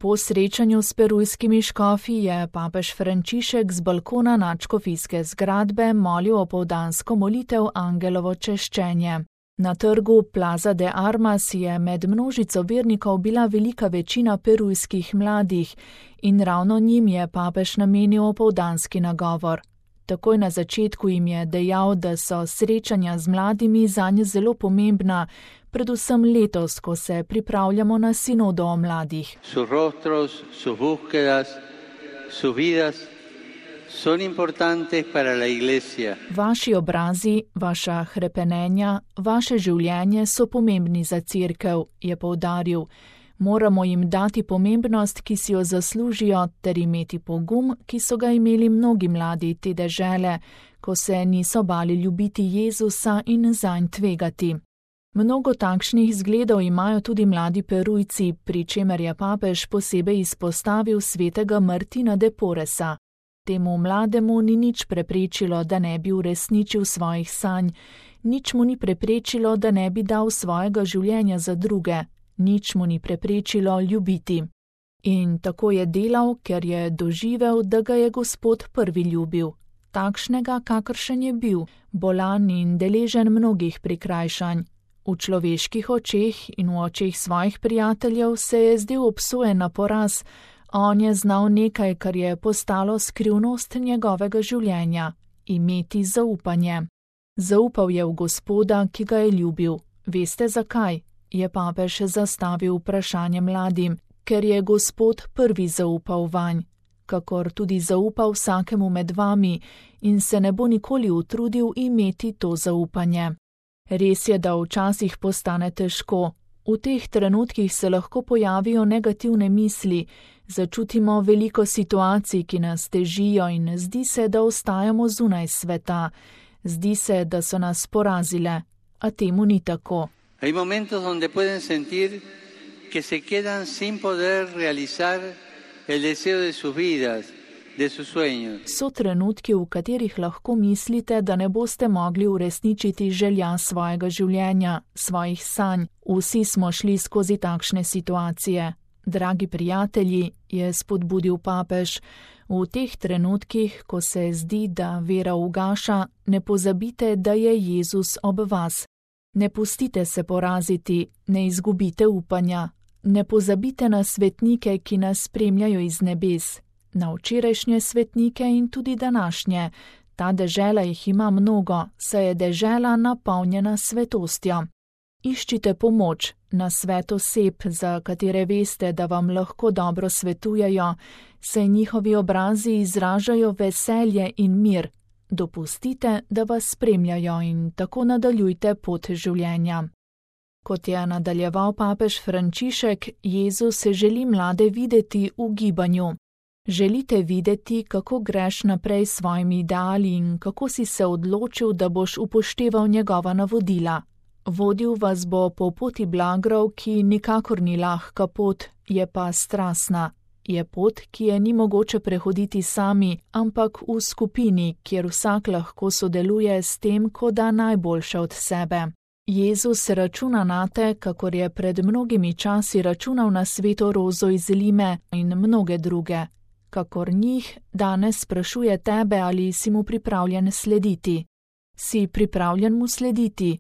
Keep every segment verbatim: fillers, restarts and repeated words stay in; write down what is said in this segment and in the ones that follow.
Po srečanju s perujskimi škofi je papež Frančišek z balkona nadškofijske zgradbe molil opoldansko molitev Angelovo češčenje. Na trgu Plaza de Armas je med množico vernikov bila velika večina perujskih mladih in ravno njim je papež namenil opoldanski nagovor. Takoj na začetku jim je dejal, da so srečanja z mladimi zanje zelo pomembna, predvsem letos, ko se pripravljamo na sinodo o mladih. Sus rostros, sus búsquedas, sus vidas son importantes para la Iglesia. Vaši obrazi, vaša hrepenenja, vaše življenje so pomembni za cerkev, je poudaril. Moramo jim dati pomembnost, ki si jo zaslužijo, ter imeti pogum, ki so ga imeli mnogi mladi te dežele, ko se niso bali ljubiti Jezusa in zanj tvegati. Mnogo takšnih zgledov imajo tudi mladi Perujci, pri čemer je papež posebej izpostavil svetega Martina de Porresa. Temu mlademu ni nič preprečilo, da ne bi uresničil svojih sanj, nič mu ni preprečilo, da ne bi dal svojega življenja za druge. Nič mu ni preprečilo ljubiti. In tako je delal, ker je doživel, da ga je Gospod prvi ljubil. Takšnega, kakršen je bil, bolan in deležen mnogih prikrajšanj. V človeških očeh in v očeh svojih prijateljev se je zdel obsojen na poraz, on je znal nekaj, kar je postalo skrivnost njegovega življenja, imeti zaupanje. Zaupal je v Gospoda, ki ga je ljubil. Veste zakaj? Je papež zastavil vprašanje mladim, ker je Gospod prvi zaupal vanj, kakor tudi zaupal vsakemu med vami in se ne bo nikoli utrudil imeti to zaupanje. Res je, da včasih postane težko. V teh trenutkih se lahko pojavijo negativne misli, začutimo veliko situacij, ki nas težijo in zdi se, da ostajamo zunaj sveta. Zdi se, da so nas porazile, a temu ni tako. Hay momentos donde pueden sentir que se quedan sin poder realizar el deseo de sus vidas, de sus sueños. So trenutki, v katerih lahko mislite, da ne boste mogli uresničiti želja svojega življenja, svojih sanj. Vsi smo šli skozi takšne situacije. Dragi prijatelji, je spodbudil papež, v teh trenutkih, ko se zdi, da vera ugaša, ne pozabite, da je Jezus ob vas. Ne pustite se poraziti, ne izgubite upanja, ne pozabite na svetnike, ki nas spremljajo iz nebes, na včerajšnje svetnike in tudi današnje. Ta dežela jih ima mnogo, saj je dežela napolnjena svetostjo. Iščite pomoč, na svet oseb, za katere veste, da vam lahko dobro svetujejo, saj njihovi obrazi izražajo veselje in mir. Dopustite, da vas spremljajo in tako nadaljujte pot življenja. Kot je nadaljeval papež Frančišek, Jezus želi mlade videti v gibanju. Želite videti, kako greš naprej s svojimi ideali in kako si se odločil, da boš upošteval njegova navodila. Vodil vas bo po poti blagrov, ki nikakor ni lahka pot, je pa strastna. Je pot, ki je ni mogoče prehoditi sami, ampak v skupini, kjer vsak lahko sodeluje s tem, ko da najboljše od sebe. Jezus računa nate, kakor je pred mnogimi časi računal na sveto Rozo iz Lime in mnoge druge. Kakor njih danes sprašuje tebe, ali si mu pripravljen slediti. Si pripravljen mu slediti?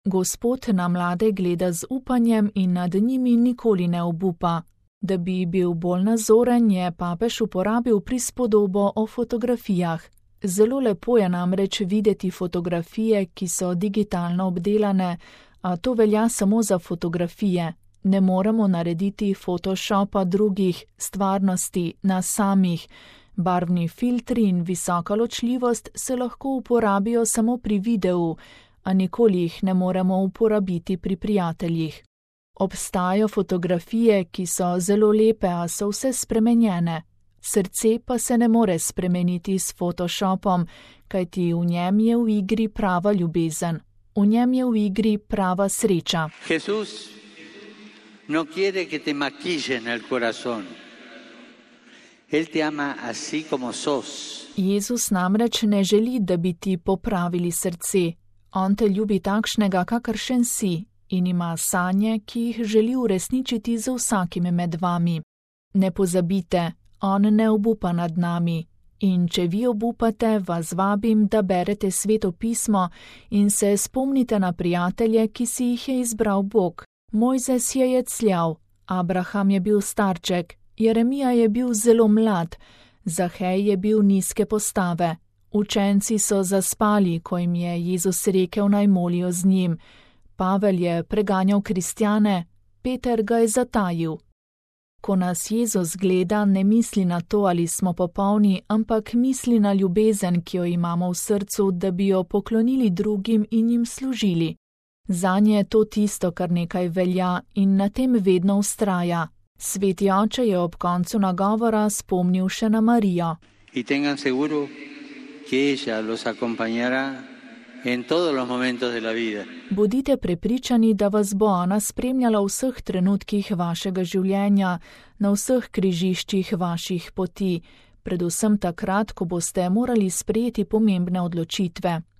Gospod na mlade gleda z upanjem in nad njimi nikoli ne obupa. Da bi bil bolj nazoren, je papež uporabil prispodobo o fotografijah. Zelo lepo je namreč videti fotografije, ki so digitalno obdelane, a to velja samo za fotografije. Ne moremo narediti photoshopa drugih, stvarnosti, nas samih. Barvni filtri in visoka ločljivost se lahko uporabijo samo pri videu, a nikoli jih ne moremo uporabiti pri prijateljih. Obstajajo fotografije, ki so zelo lepe, a so vse spremenjene. Srce pa se ne more spremeniti s Photoshopom, kajti v njem je v igri prava ljubezen. V njem je v igri prava sreča. Jesús no quiere que te maquillen el corazón. Él te ama así como sos. Jezus namreč ne želi, da bi ti popravili srce. On te ljubi takšnega, kakršen si, in ima sanje, ki jih želi uresničiti z vsakim med vami. Ne pozabite, on ne obupa nad nami. In če vi obupate, vas vabim, da berete Sveto pismo in se spomnite na prijatelje, ki si jih je izbral Bog. Mojzes je jecljav, Abraham je bil starček, Jeremija je bil zelo mlad, Zahej je bil nizke postave. Učenci so zaspali, ko jim je Jezus rekel, naj molijo z njim. Pavel je preganjal kristjane, Peter ga je zatajil. Ko nas Jezus gleda, ne misli na to, ali smo popolni, ampak misli na ljubezen, ki jo imamo v srcu, da bi jo poklonili drugim in jim služili. Zanje je to tisto, kar nekaj velja in na tem vedno vztraja. Sveti oče je ob koncu nagovora spomnil še na Marijo. Y tengan seguro que ella los acompañará en todos los momentos de la vida. Bodite prepričani, da vas bo ona spremljala v vseh trenutkih vašega življenja, na vseh križiščih vaših poti, predvsem takrat, ko boste morali sprejeti pomembne odločitve.